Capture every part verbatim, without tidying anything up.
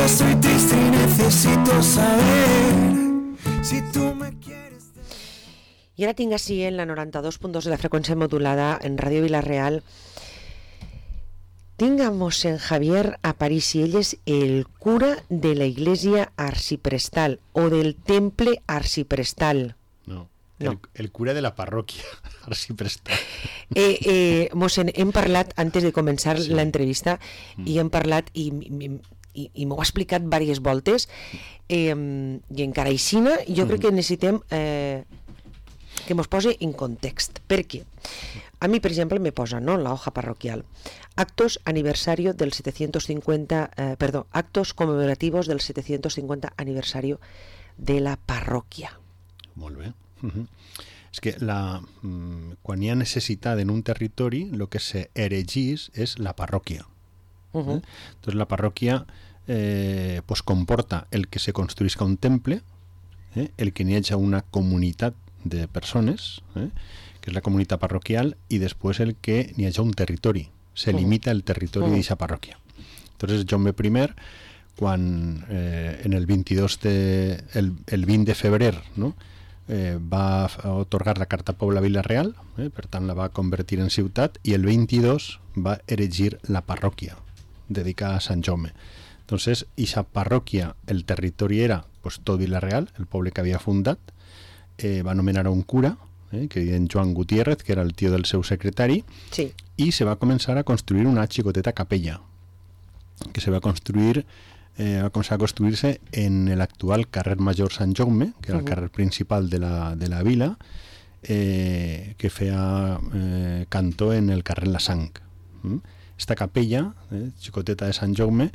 estoy triste y necesito saber si tú me quieres. I ara tinc així en la noranta-dos punt dos de la freqüència modulada en Ràdio Vila-real. Tinc a mossèn Javier Aparici, ell és el cura de la iglesia arciprestal o del temple arciprestal. No, No. El, el cura de la parròquia arciprestal. Eh, eh, mossèn, hem parlat antes de començar Sí. l'entrevista Mm. i hem parlat i, i, i, i m'ho ha explicat diverses voltes eh, i encara aixina jo crec que necessitem eh, que mos posi en context. Per què? A mi, per exemple, me posa, ¿no?, en la hoja parroquial, actos aniversario del setecientos cincuenta, eh, perdón, actos conmemorativos del setecientos cincuenta aniversario de la parròquia. Molt bé. Uh-huh. És que la, mm, quan hi ha necessitat en un territori, el que s'erigís és la parròquia. Uh-huh. Eh? Entonces la parròquia eh, pues comporta el que se construisca un temple, eh? el que n'hi hagi una comunitat de persones, eh? que és la comunitat parroquial, i després el que n'hi hagi un territori. Se Uh-huh. limita el territori Uh-huh. d'aquesta parròquia. Entonces Jaume I, quan eh, en el veintidós de, el, el vint de febrer, no? Eh, va otorgar la Carta Pobla Vila-real, eh, per tant la va convertir en ciutat, i el veintidós va erigir la parròquia dedicada a Sant Jaume. Entonces, esa parròquia, el territori era pues, tot Vila-real, el poble que havia fundat, eh, va nomenar a un cura, eh, que era Joan Gutiérrez, que era el tio del seu secretari, Sí. i se va començar a construir una xicoteta capella, que se va construir eh, va començar a construir-se en l'actual carrer Major Sant Jaume, que era el Uh-huh. carrer principal de la, de la vila, eh, que feia eh, cantó en el carrer La Sang. Mm? Esta capella, eh, xicoteta de Sant Jaume,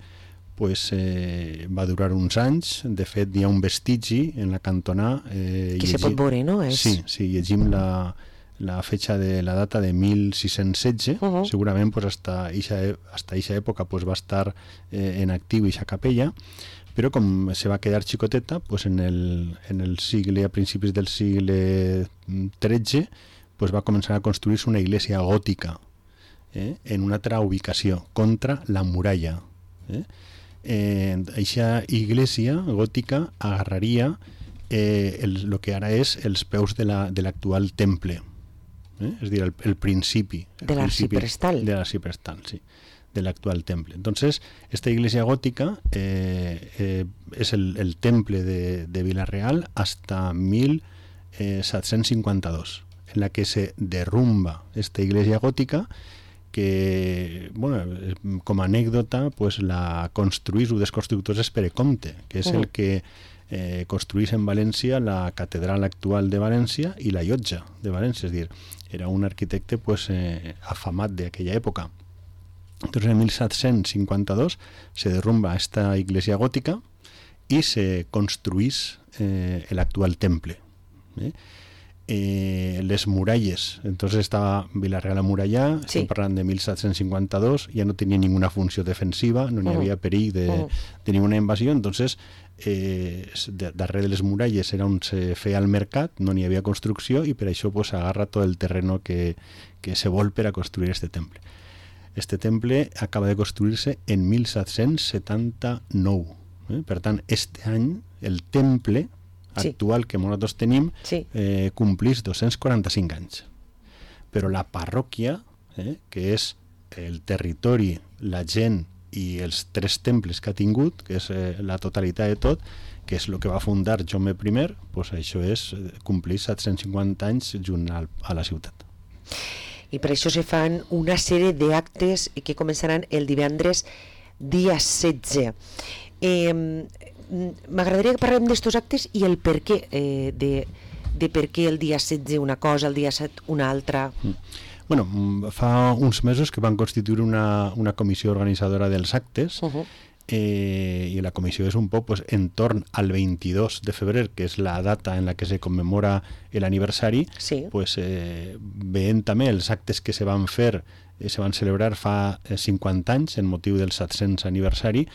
pues, eh, va durar uns anys. De fet, hi ha un vestigi en la cantonà. Eh, Que se pot veure, no? És... Sí, sí, llegim la, la fecha de la data de mil sis-cents setze, Uh-huh. segurament pues, hasta eixa, hasta eixa època pues, va estar eh, en actiu eixa capella, però com se va quedar xicoteta, pues, en, el, en el sigle, a principis del sigle tretze, pues, va començar a construir-se una iglesia gòtica eh, en una altra ubicació, contra la muralla. Eh? Eh, eixa iglesia gòtica agarraria eh, el, lo que ara és els peus de la, de l'actual temple. Eh? És a dir, el, el principi. El De principi l'arciprestal. De l'arciprestal, sí. De l'actual temple. Entonces, esta iglesia gótica eh, eh, es el, el temple de, de Vila-real hasta mil setecientos cincuenta y dos, en la que se derrumba esta iglesia gótica, que, bueno, com a anècdota, pues la construís un dels constructors és Pere Comte, que és Uh-huh. el que eh, construís en València la catedral actual de València i la llotja de València, és a dir, era un arquitecte pues, eh, afamat d'aquella època. Entonces en mil setecientos cincuenta y dos se derrumba esta iglesia gótica y se construís eh, el actual temple. ¿eh? Eh, les muralles, entonces estava Vila-real amurallà, Sí. estem parlant de mil setecientos cincuenta y dos, ja no tenia ninguna funció defensiva, no n'hi Uh-huh. havia perill de, Uh-huh. de ninguna invasió, entonces eh, de, darrere de les muralles era on se feia el mercat, no n'hi havia construcció, i per això pues, agarra tot el terreno que, que se vol per a construir este temple. Este temple acaba de construir-se en mil setecientos setanta-nou. Eh? Per tant, este any el temple Sí. actual que nosaltres tenim Sí. eh, complís dos-cents quaranta-cinc anys. Però la parròquia, eh, que és el territori, la gent i els tres temples que ha tingut, que és eh, la totalitat de tot, que és el que va fundar Jaume I, pues això és eh, complir set-cents cinquanta anys junt al, a la ciutat. I per això se fan una sèrie d'actes que començaran el divendres dia setze. Eh, M'agradaria que parlem d'estos actes i el per què, eh, de, de per què el dia setze una cosa, el dia set una altra. Mm. Bueno, fa uns mesos que van constituir una, una comissió organitzadora dels actes, Uh-huh. eh, i la comissió és un poc pues, entorn al veintidós de febrer, que és la data en la que se commemora l'aniversari, Sí. pues, eh, veient també els actes que se van fer, eh, se van celebrar fa eh, cinquanta anys en motiu del set-cents aniversari,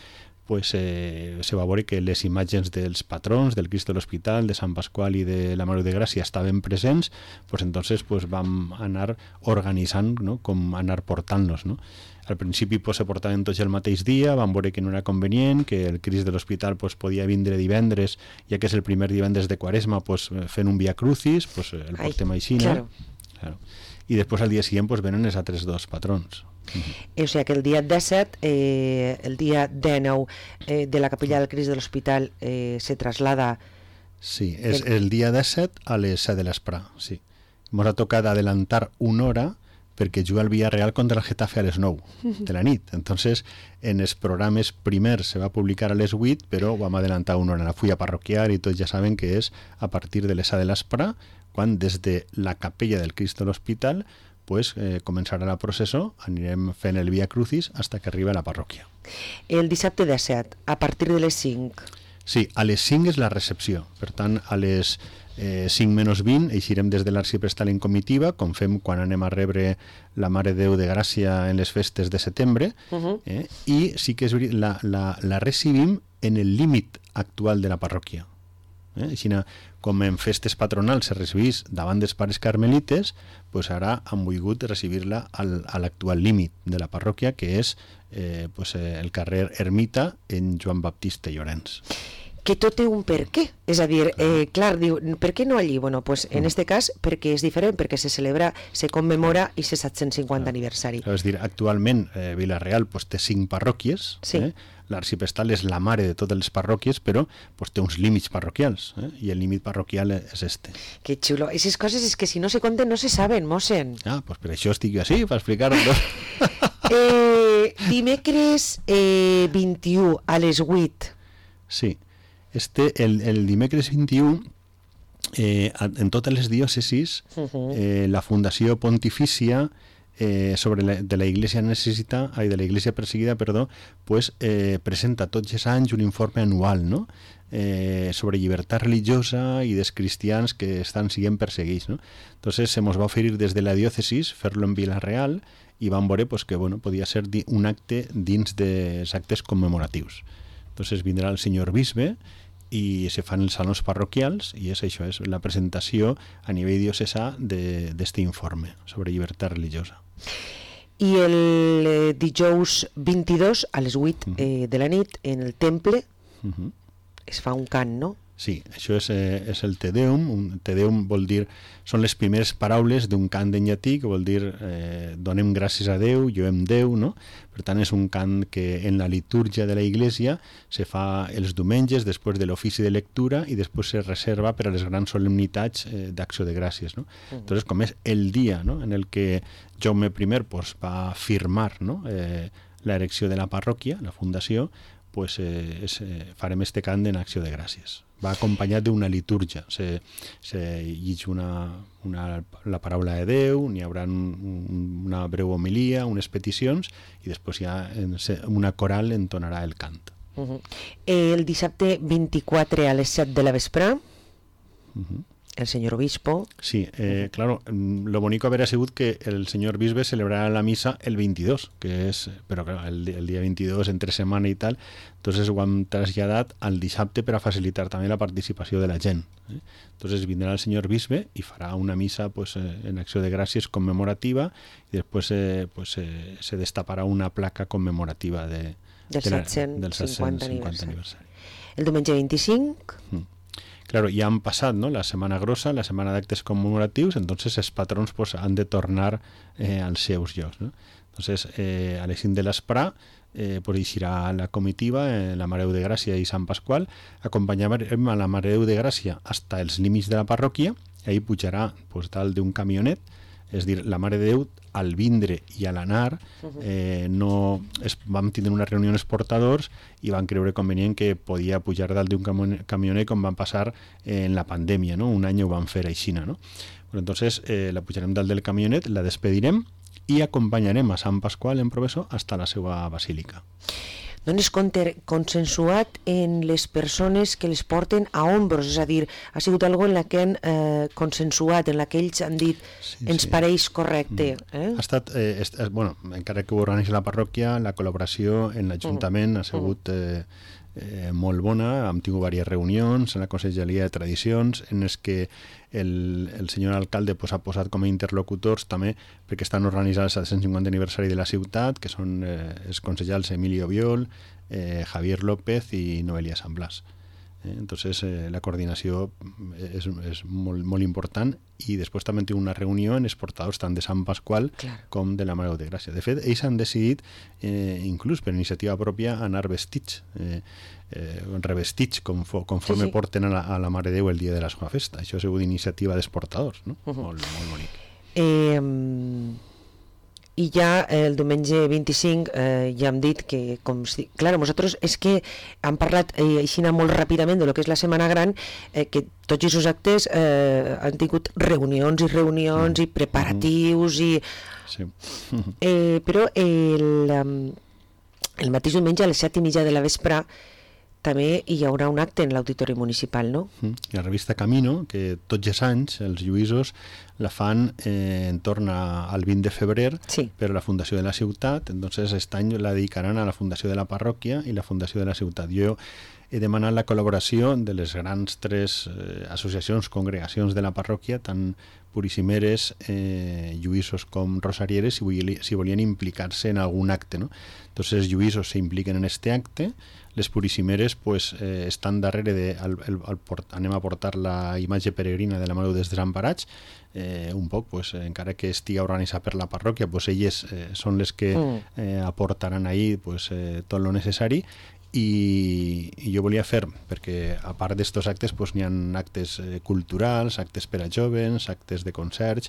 pues, eh, se va veure que les imatges dels patrons, del Crist de l'Hospital, de Sant Pasqual i de la Mare de Gràcia estaven presents, pues entonces pues, vam anar organitzant, no? Com anar portant-los, no? Al principi pues, se portaven tots el mateix dia, vam veure que no era convenient, que el Crist de l'Hospital pues, podia vindre divendres, ja que és el primer divendres de Quaresma, pues, fent un Via Crucis, pues, el portem així, no? Claro. Claro. I després al dia següent pues, venen els altres dos patrons. Uh-huh. O sigui que el dia disset, eh, el dia dinou eh, de la capella del Crist de l'Hospital eh, se traslada... Sí, és el... el dia disset a les set de l'esprà, sí. Ens ha tocat adelantar una hora perquè juga el Villarreal contra el Getafe a les nou de la nit. Entonces, en els programes primers se va publicar a les vuit, però ho vam adelantar una hora. La fulla parroquial i tots ja saben que és a partir de les set de l'esprà, quan des de la capella del Crist de l'Hospital pues, eh, començarà la processó, anirem fent el Via Crucis fins que arriba a la parròquia. El dissabte disset, a partir de les cinc. Sí, a les cinc és la recepció. Per tant, a les eh, cinc menys vint eixirem des de l'arxiprestal en comitiva, com fem quan anem a rebre la Mare de Déu de Gràcia en les festes de setembre, uh-huh. eh, i sí que és veritat, la, la, la recibim en el límit actual de la parròquia. Eh? Així, com en festes patronals se recibís davant dels pares carmelites, pues ara han volgut recibir-la al, a l'actual límit de la parròquia, que és eh, pues, eh, el carrer Ermita en Joan Baptista Llorenç. Que tot té un per què. És a dir, eh, clar, diu, per què no allí? Bueno, pues en este cas, perquè és diferent, perquè se celebra, se commemora i se set-cents cinquanta aniversari. És dir, actualment eh, Vila-real pues, té cinc parròquies, sí. eh? L'arxiprestal és la mare de totes les parròquies, però pues, té uns límits parroquials, eh? I el límit parroquial és este. Que xulo. Aquestes coses és que si no se conten no se saben, mossen. Ah, pues per això estic jo així, per explicar-ho. eh, dimecres eh, vint-i-u a les vuit. Sí. Este, el, el dimecres vint-i-u, eh, en totes les diòcesis, uh-huh. eh, la Fundació Pontifícia eh, sobre la, de la Iglesia necessita, ai, de la Iglesia perseguida, perdó, pues, eh, presenta tots els anys un informe anual, no? Eh, sobre llibertat religiosa i dels cristians que estan siguent perseguits, no? Entonces se nos va oferir des de la diòcesis fer-lo en Vila-real i vam veure pues, que bueno, podia ser un acte dins dels actes commemoratius. Entonces vindrà el senyor bisbe i se fan els salons parroquials i és això, és la presentació a nivell diocesà d'aquest informe sobre llibertat religiosa. I el eh, dijous vint-i-dos a les vuit uh-huh. eh, de la nit en el temple uh-huh. es fa un cant, no? Sí, això és, eh, és el Te Deum. Un Te Deum vol dir, són les primeres paraules d'un cant en llatí que vol dir eh, donem gràcies a Déu, lloem Déu, no? Per tant, és un cant que en la litúrgia de la Iglesia se fa els diumenges després de l'ofici de lectura i després se reserva per a les grans solemnitats eh, d'acció de gràcies, no? Uh-huh. Entonces, com és el dia, no?, en el que Jaume I pues, va firmar, no?, eh, l'erecció de la parròquia, la fundació, pues, eh, es, eh, farem este cant en acció de gràcies. Va acompanyat d'una litúrgia. Se, se llig una, una, la paraula de Déu, n'hi haurà un, una breu homilia, unes peticions, i després ja en, una coral entonarà el cant. Uh-huh. El dissabte vint-i-quatre a les set de la vesprà, uh-huh. el senyor obispo... Sí, eh, claro, lo bonito haber sigut que el senyor bisbe celebrarà la misa el veintidós, que és, però claro, el, el dia veintidós, entre setmana i tal, entonces ho hem traslladat al dissabte per a facilitar també la participació de la gent. Eh? Entonces vindrà el senyor bisbe i farà una misa pues, eh, en acció de gràcies commemorativa i després eh, pues, eh, se destaparà una placa commemorativa de, del de la, set-cents cinquanta aniversari. aniversari. El diumenge vint-i-cinc... Mm. Claro, ya han pasado, ¿no?, la Semana Grossa, la Semana de Actes Conmemorativos, entonces els patrons pues, han de tornar eh, als seus llocs, ¿no? Entonces, eh, a les cinc de l'esprà eh, pues, eixirà la comitiva, eh, la Mare de Déu de Gràcia i Sant Pasqual, acompanyarem a la Mare de Déu de Gràcia hasta els límits de la parròquia, i ahí pujarà pues, dalt d'un camionet, és dir, la Mare de Déu al vindre i a l'anar eh, no, es, vam tindre una reunió amb els portadors i van creure convenient que podia pujar dalt d'un camionet com van passar eh, en la pandèmia, no? Un any ho van fer així, no? Però entonces eh, la pujarem dalt del camionet, la despedirem i acompanyarem a Sant Pasqual en Professor hasta la seva basílica. no n'és consensuat en les persones que les porten a ombros, és a dir, ha sigut algo en la que han eh, consensuat, en la que ells han dit sí, ens sí. pareix correcte. Eh? Ha estat, eh, est, bueno, encara que ho organitza la parròquia, la col·laboració en l'Ajuntament ha sigut eh, eh, molt bona, hem tingut diverses reunions en la Conselleria de Tradicions en les que el, el senyor alcalde pues, ha posat com a interlocutors també perquè estan organitzats el cent cinquanta aniversari de la ciutat, que són eh, els consellers Emilio Biol, eh, Javier López i Noelia San Blas. Eh, entonces eh, la coordinació és, és molt, molt important i després també tinc una reunió en els portadors tant de Sant Pasqual claro. com de la Mare de Gràcia. De fet, ells han decidit, eh, inclús per iniciativa pròpia, anar vestits, eh, eh, revestits com, conforme sí, sí. porten a la, a la Mare de Déu el dia de la seva festa. Això ha sigut iniciativa dels portadors, no? Uh -huh. molt, molt bonic. Eh... I ja el diumenge vint-i-cinc eh, ja hem dit que, com si... Clar, nosaltres és que hem parlat eh, així molt ràpidament de lo que és la Setmana Gran, eh, que tots aquests actes eh, han tingut reunions i reunions mm. i preparatius i... Sí. eh, però el, el mateix diumenge a les set i mitja de la vespre també hi haurà un acte en l'Auditori Municipal, no? I la revista Camino, que tots els anys els lluïsos la fan eh, en torn a, al vint de febrer sí. per la Fundació de la Ciutat, entonces aquest any la dedicaran a la Fundació de la Parròquia i la Fundació de la Ciutat. Jo he demanat la col·laboració de les grans tres eh, associacions, congregacions de la parròquia, tant purissimeres, eh, lluïsos com rosarieres, si, volien, si volien implicar-se en algun acte, no? Entonces els lluïsos se impliquen en este acte, les purissimeres pues, eh, estan darrere de el, el, el port, anem a portar la imatge peregrina de la Mare dels Desemparats, eh, un poc, pues, encara que estigui organitzat per la parròquia, pues, elles eh, són les que eh, aportaran ahí pues, eh, tot lo necessari. I, i jo volia fer, perquè a part d'estos actes pues, n'hi ha actes eh, culturals, actes per a jovens, actes de concerts,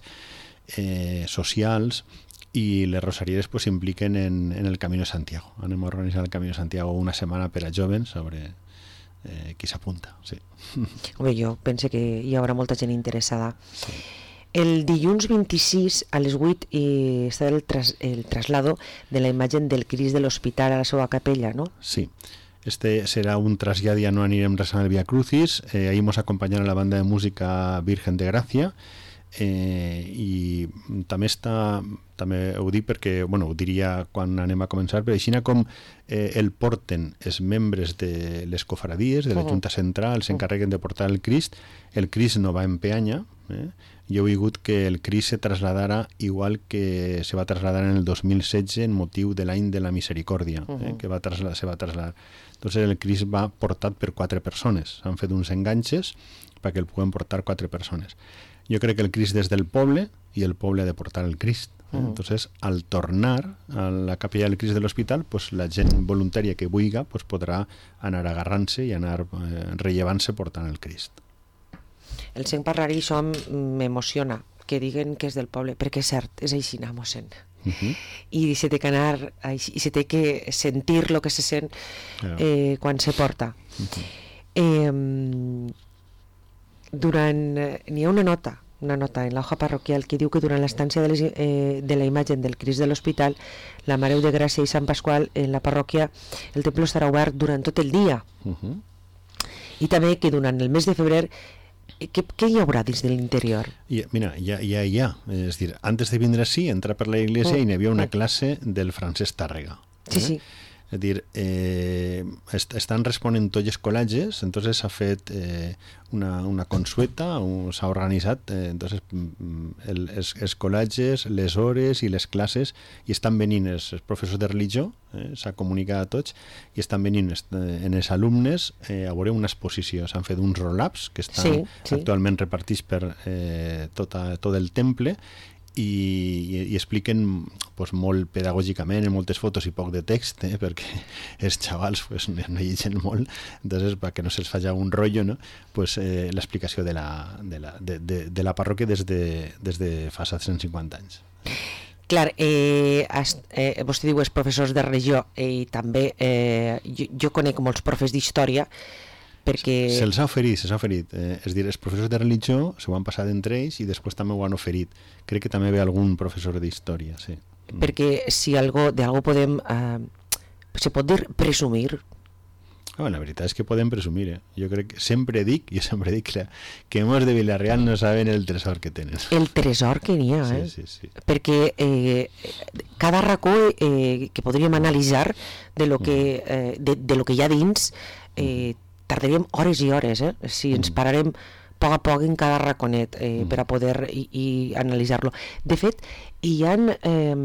eh, socials, i les rosarieres pues, s'impliquen en, en el Camino de Santiago. Anem a organitzar el Camino de Santiago una setmana per a jovens sobre eh, qui s'apunta. Sí. Home, jo penso que hi haurà molta gent interessada. Sí. El dilluns vint-i-sis a les vuit i està el, tras, el traslado de la imatge del Crist de l'Hospital a la seva capella, no? Sí. Este serà un trasllat, ja no anirem resant el Via Crucis, eh, ahí mos acompanyarà la banda de música Virgen de Gràcia, eh, i també està, també ho dic perquè, bueno, ho diria quan anem a començar, però així com eh, el porten els membres de les cofradies, de la uh-huh. Junta Central, s'encarreguen de portar el Crist, el Crist no va en peanya, eh? Jo he vingut que el Crist se trasladara igual que se va trasladar en el dos mil setze en motiu de l'any de la Misericòrdia, uh-huh. eh? que va trasladar, se va trasladar. Entonces el Crist va portat per quatre persones, s'han fet uns enganxes perquè el puguen portar quatre persones. Jo crec que el Crist és del poble i el poble ha de portar el Crist. Eh? Uh-huh. Entonces, al tornar a la capella del Crist de l'hospital, pues, la gent voluntària que vulgui pues, podrà anar agarrant-se i anar eh, rellevant-se portant el Crist. El sent parlar i això m'emociona, que diguen que és del poble, perquè és cert, és així, mossèn. Uh-huh. I se té que anar, i se té que sentir el que se sent eh, quan se porta. Uh-huh. Eh, durant, n'hi ha una nota, una nota en l'hoja parroquial que diu que durant l'estància de, les, eh, de la imatge del Crist de l'Hospital, la Mare de Gràcia i Sant Pasqual, en la parròquia, el temple estarà obert durant tot el dia. Uh-huh. I també que durant el mes de febrer Què, què hi haurà dins de l'interior? I, mira, ja, ja, ja. És dir, antes de vindre així, entrar per la iglesia mm. i n'hi havia una classe del Francesc Tàrrega. Sí, eh? sí. És dir, eh, est estan responent tots els col·legis, entonces s'ha fet eh, una, una consueta, s'ha organitzat, eh, entonces el, els, els col·legis, les hores i les classes, i estan venint els, els professors de religió, eh, s'ha comunicat a tots, i estan venint en els alumnes eh, a veure una exposició. S'han fet uns roll-ups que estan sí, sí. actualment repartits per eh, tota, tot el temple, i, i, i expliquen pues, molt pedagògicament, en moltes fotos i poc de text, eh, perquè els xavals pues, no llegeixen molt, entonces perquè no se'ls faci un rotllo, no? Pues, eh, l'explicació de la, de, la, de, de, de la parròquia des de, des de fa cent cinquanta anys. Clar, eh, has, eh, vostè diu els professors de religió eh, i també eh, jo, jo conec molts profes d'història perquè... Se'ls ha oferit, se'ls ha oferit. Eh, és dir, els professors de religió s'ho han passat entre ells i després també ho han oferit. Crec que també ve algun professor d'història, sí. Perquè si algo, de algo podem eh, se pot dir presumir. Oh, la veritat és que podem presumir, eh? Jo crec que sempre dic, jo sempre dic que, que mos de Vila-real no saben el tresor que tenen. El tresor que n'hi ha, eh? Sí, sí, sí. Perquè eh, cada racó eh, que podríem analitzar de lo que, eh, de, de lo que hi ha dins, eh, tardaríem hores i hores, eh? Si ens pararem a poc a poc en cada raconet eh, per a poder i, i analitzar-lo. De fet, hi ha eh,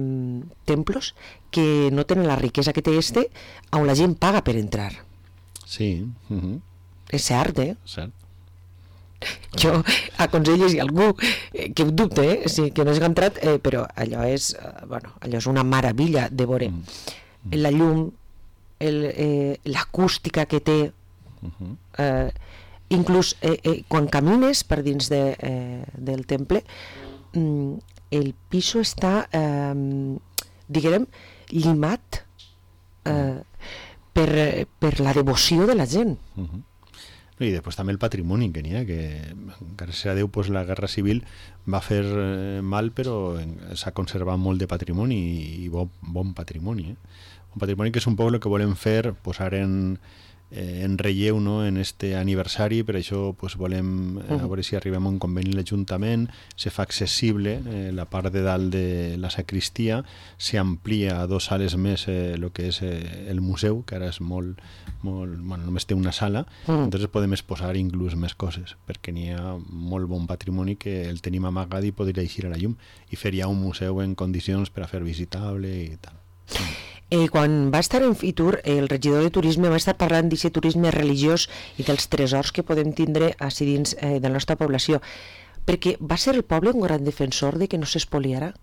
templos que no tenen la riquesa que té este, on la gent paga per entrar. Sí, uh -huh. És cert, eh? Cert. Jo aconsello si algú eh, que ho dubte, eh? Sí, que no hagi entrat, eh, però allò és, eh, bueno, allò és una meravella de veure. Mm. La llum, el, eh, l'acústica que té, uh -huh. eh, inclús eh, eh, quan camines per dins de, eh, del temple, mm, el piso està, eh, diguem, llimat eh, per, per la devoció de la gent. Uh -huh. I després també el patrimoni que n'hi ha, que gràcies a Déu pues, la Guerra Civil va fer eh, mal, però s'ha conservat molt de patrimoni i, i bon, bon patrimoni. Eh? Un patrimoni que és un poc el que volem fer, posar en, eh, en relleu, no?, en este aniversari. Per això pues, volem eh, a veure si arribem a un conveni amb l'Ajuntament, se fa accessible eh, la part de dalt de la sacristia, s'amplia a dos sales més el eh, que és eh, el museu, que ara és molt, molt, bueno, només té una sala, mm. entonces podem exposar inclús més coses, perquè n'hi ha molt bon patrimoni que el tenim amagat i podria eixir a la llum i fer ja un museu en condicions per a fer visitable i tal. Mm. Eh, quan va estar en Fitur, el regidor de turisme va estar parlant d'aquest turisme religiós i dels tresors que podem tindre així dins eh, de la nostra població, perquè va ser el poble un gran defensor de que no s'espoliara?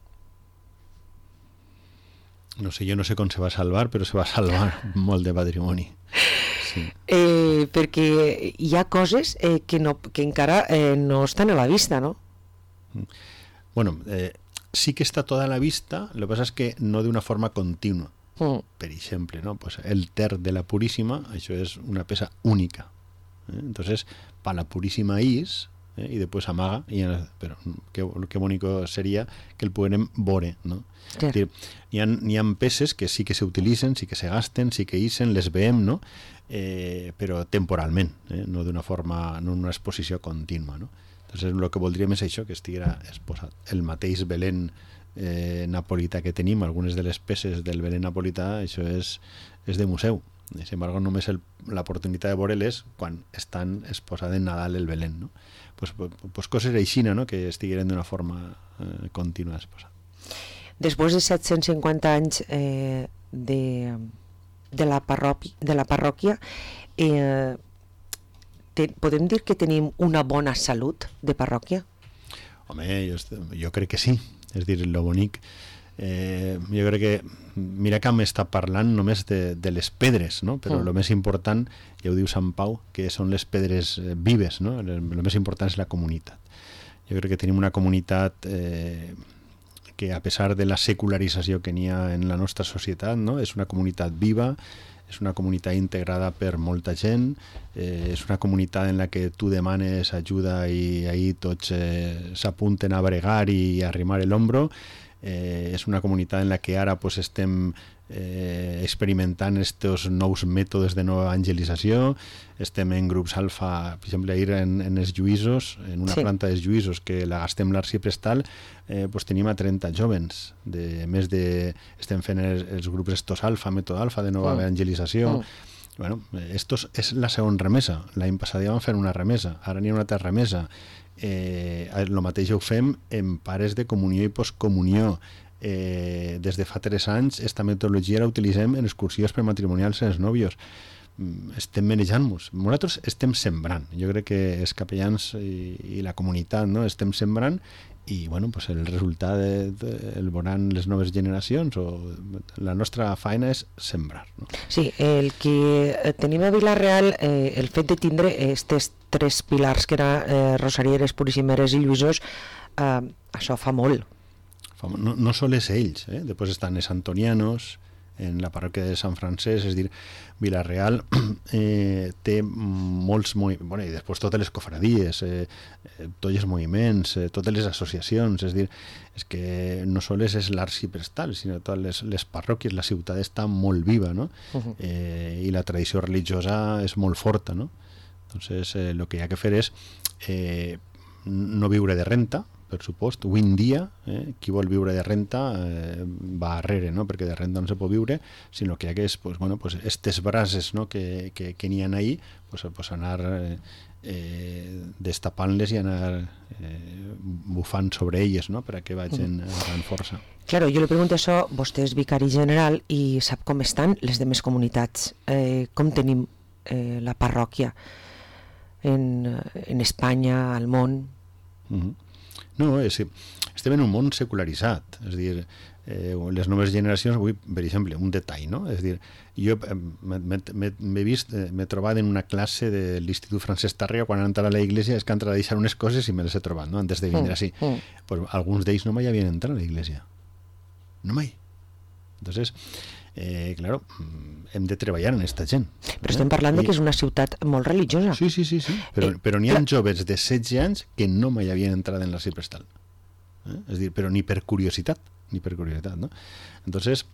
No sé, jo no sé com se va salvar, però se va salvar molt de patrimoni. Sí. Eh, perquè hi ha coses eh, que, no, que encara eh, no estan a la vista, no? Bueno, eh, sí que està tota a la vista, lo que pasa es que no de una forma continua. Mm. Per exemple, ¿no? Pues el Ter de la Purísima, això és una peça única. ¿eh? Entonces, para la Purísima is, ¿eh? y después amaga, y, pero qué, qué bonito sería que el puguem veure, ¿no? Sí. Es decir, hi ha, hi ha peces que sí que se utilitzen, sí que se gasten, sí que isen, les veiem, no? Eh, però temporalment, eh? no d'una forma, no en una exposició contínua, no? Entonces, el que voldríem és això, que estiguera exposat. El mateix Belén eh, napolità que tenim, algunes de les peces del Belén napolità, això és, és de museu. Sin embargo, només l'oportunitat de veure-les quan estan exposades en Nadal el Belén, no? Pues, pues, pues coses així, no? Que estigueren d'una forma eh, contínua exposada. Després de set-cents cinquanta anys eh, de, de, la parròquia, de la parròquia eh, te, podem dir que tenim una bona salut de parròquia? Home, jo, jo crec que sí. És dir, lo bonic, eh, jo crec que mira que m'està parlant només de, de les pedres, no? Però el mm. més important, ja ho diu Sant Pau, que són les pedres eh, vives, no? El més important és la comunitat. Jo crec que tenim una comunitat eh, que a pesar de la secularització que n'hi ha en la nostra societat, no? És una comunitat viva, és una comunitat integrada per molta gent, eh, és una comunitat en la que tu demanes ajuda i ahí tots eh, s'apunten a bregar i a arrimar l'hombro. Eh, és una comunitat en la que ara pues, estem eh, experimentant estos nous mètodes de nova evangelització, estem en grups alfa, per exemple, ahir en, en els Lluïsos, en una sí. planta dels Lluïsos que la gastem l'arxiprestal, eh, pues, tenim a trenta jovens, de, més de, estem fent els, els grups estos alfa, mètode alfa de nova mm. evangelització. Mm. Bueno, estos és la segona remesa. L'any passat ja vam fer una remesa, ara n'hi ha una altra remesa. Eh, el mateix ho fem en pares de comunió i postcomunió. Eh, des de fa tres anys esta metodologia la utilitzem en excursions prematrimonials en els nòvios. Estem manejant-nos. Nosaltres estem sembrant. Jo crec que els capellans i, i la comunitat, no? Estem sembrant i bueno, pues el resultat de, de, el veuran les noves generacions o la nostra feina és sembrar, no? Sí, el que tenim a Vila-real, eh, el fet de tindre aquests tres pilars que eren eh, Rosarieres, Puríssimeres i Lluïsos, eh, això fa molt. No, no sols ells, eh? Després estan els antonianos, en la parròquia de Sant Francesc, és a dir, Vila-real eh, té molts moviments, bueno, i després totes les cofradies, eh, tots els moviments, eh, totes les associacions, és a dir, és que no sols és l'arxiprestal, sinó totes les, les parròquies, la ciutat està molt viva, no? Uh-huh. eh, i la tradició religiosa és molt forta, no? Entonces, eh, lo que hi ha que fer és eh, no viure de renta, per supost. Avui en dia, eh, qui vol viure de renta eh, va arrere, no? Perquè de renta no se pot viure, sinó que hi ha que, pues, bueno, pues, estes brases, no? que, que, que n'hi ha ahí, pues, pues anar eh, eh, destapant-les i anar eh, bufant sobre elles, no? Per a que vagin agafant força. Claro, jo li pregunto això, vostè és vicari general i sap com estan les demés comunitats, eh, com tenim eh, la parròquia en, en Espanya, al món. Uh-huh. No, és, estem en un món secularitzat, és a dir, eh, les noves generacions, avui, per exemple, un detall, no? És a dir, jo m'he vist, m'he trobat en una classe de l'Institut Francesc Tàrrega quan han entrat a la iglesia, és que han entrat a deixar unes coses i me les he trobat, no? Antes de vindre així. Mm, mm. Pues alguns d'ells no mai havien entrat a la iglesia. No mai. Entonces, eh, claro, hem de treballar en aquesta gent. Però estem parlant I... de que és una ciutat molt religiosa. Sí, sí, sí, sí. Però, eh, però n'hi ha clar. joves de setze anys que no mai havien entrat en l'arxiprestal. Eh? És dir, però ni per curiositat, ni per curiositat, no? Entonces,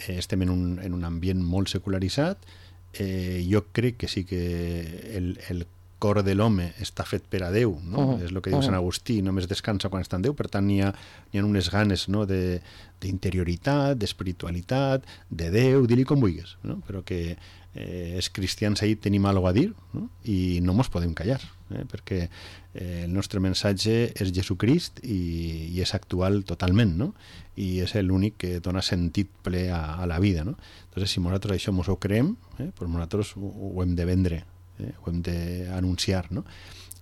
eh, estem en un, en un ambient molt secularitzat. Eh, jo crec que sí que el, el cor de l'home està fet per a Déu, no? Uh-huh. És el que diu uh-huh. Sant Agustí, només descansa quan està en Déu, per tant n'hi ha, n'hi ha unes ganes, no? de, d'interioritat, d'espiritualitat, de Déu, dir-li com vulguis, no? Però que eh, els cristians ahir tenim alguna a dir, no? I no mos podem callar, eh? Perquè eh, el nostre mensatge és Jesucrist i, i és actual totalment, no? I és l'únic que dona sentit ple a, a la vida, no? Entonces, si nosaltres això mos ho creem, eh, pues nosaltres ho, ho hem de vendre, eh? Ho hem d'anunciar, no?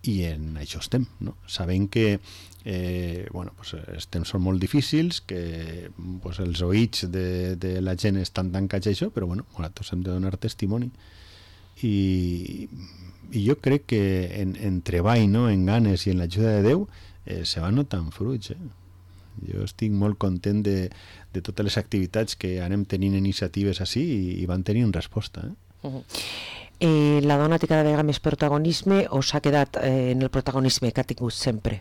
I en això estem, no? Sabent que eh, bueno, pues, els temps són molt difícils, que pues, els oïts de, de la gent estan tancats a això, però bueno, nosaltres hem de donar testimoni. I, i jo crec que en, en treball, no? En ganes i en l'ajuda de Déu eh, se van notant fruits, eh? Jo estic molt content de, de totes les activitats que anem tenint iniciatives així i, i van tenint resposta, eh? Uh-huh. Eh, la dona té cada vegada més protagonisme o s'ha quedat eh, en el protagonisme que ha tingut sempre?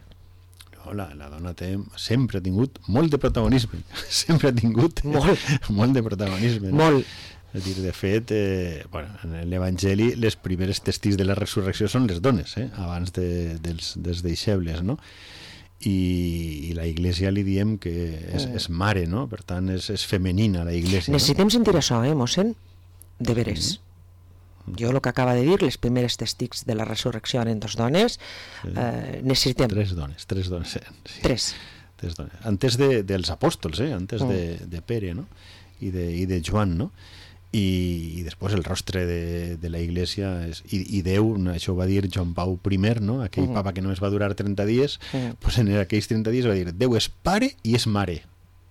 No, la, la dona té, sempre ha tingut molt de protagonisme, sempre ha tingut molt, molt de protagonisme, no? Molt. És dir, de fet, eh, bueno, en l'Evangeli les primeres testigs de la resurrecció són les dones, eh? Abans de, dels, dels deixebles, no? I, i la Iglesia li diem que és, és mare, no? Per tant, és, és femenina la Iglesia. Necessitem no? sentir això, eh, mossèn? De veres. Mm-hmm. Jo el que acaba de dir, les primeres testigs de la resurrecció eren dos dones, sí. eh, necessitem... Tres dones, tres dones. Sí. Tres. Tres dones. Antes de, dels apòstols, eh? Antes mm. de, de Pere, no? I de, i de Joan, no? I, i després el rostre de, de la Iglesia és, i, i Déu, això ho va dir Joan Pau primer, no? Aquell mm. papa que només va durar trenta dies, mm. pues en aquells trenta dies va dir Déu és pare i és mare.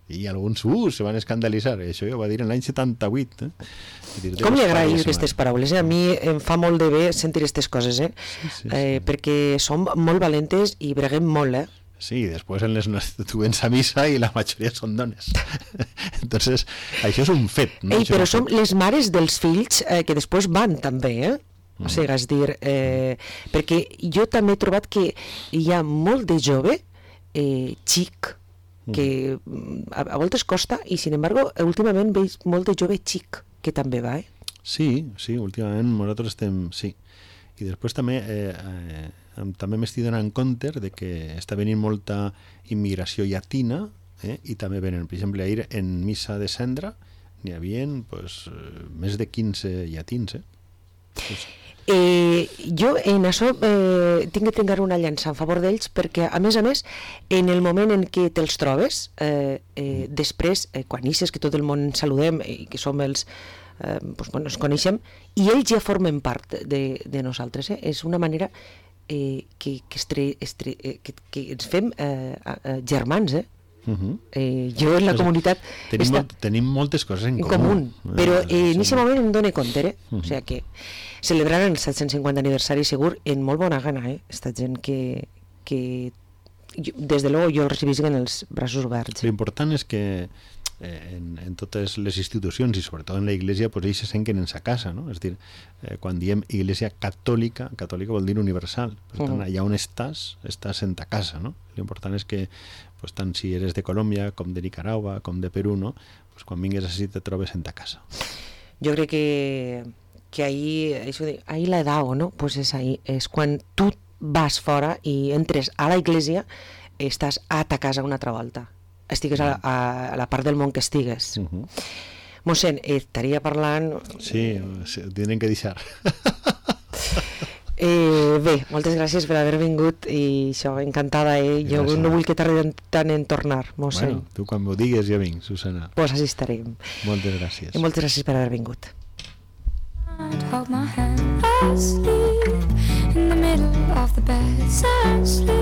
I alguns uh, se van escandalitzar, això ho va dir en l'any setanta-vuit, eh? Dir, com li agrada aquestes paraules, eh? A mi em fa molt de bé sentir aquestes coses, eh? Sí, sí, sí. Eh, perquè som molt valentes i breguem molt, eh? Sí, després en les tu vens a missa i la majoria són dones. Entonces, això és un fet, no? Ei, però som les mares dels fills eh, que després van també, eh? Mm. O sigui, és dir, eh, perquè jo també he trobat que hi ha molt de jove eh, xic, que a, a voltes costa i sin embargo últimament veig molt de jove xic que també va, eh? Sí, sí, últimament nosaltres estem, sí. I després també eh, eh, també m'estic donant compte de que està venint molta immigració llatina, eh, i també venen, per exemple, ahir en missa de cendra n'hi havia pues, més de quinze llatins, eh? Pues, Eh, jo en això eh, tinc que trencar una llança en favor d'ells perquè a més a més en el moment en què te'ls trobes eh, eh, després eh, quan ixes que tot el món ens saludem i que som els eh, doncs, bueno, ens coneixem i ells ja formen part de, de nosaltres, eh? És una manera eh, que, que, estre, estre, eh, que, que ens fem eh, eh, germans, eh? Uh-huh. Eh, jo en la pues comunitat tenim, està... molt, tenim moltes coses en, en comú, comú però eh, en aquest moment em dono compte, eh? Uh-huh. O sigui que celebraran el set-cents cinquanta aniversari segur en molt bona gana, eh? Esta gent que, que jo, des de luego jo el recibisc en els braços oberts. L'important és que eh, en, en totes les institucions i sobretot en la Iglesia, pues ells se senten en sa casa, no? És a dir, eh, quan diem Iglesia catòlica, catòlica vol dir universal, per tant, allà on estàs, estàs en ta casa, no? L'important és que, pues, tant si eres de Colòmbia, com de Nicaragua, com de Perú, no? Pues quan vingues així te trobes en ta casa. Jo crec que, que ahí, eso de, ahí la edao, ¿no? Pues es ahí, es quan tu vas fora i entres a la Iglesia, estàs a ta casa una altra volta. Estigues a, a, a la part del món que estigues. Uh -huh. Mossèn, eh, estaria parlant... Sí, sí, tenen que deixar. Eh, bé, moltes gràcies per haver vingut i això, encantada, eh? Jo gràcies. No vull que tardi tant en tornar, mossèn. Bueno, tu quan m'ho digues ja vinc, Susana. Pues així estarem. Moltes gràcies. I moltes gràcies per haver vingut. Hold my hand asleep in the middle of the bed, asleep.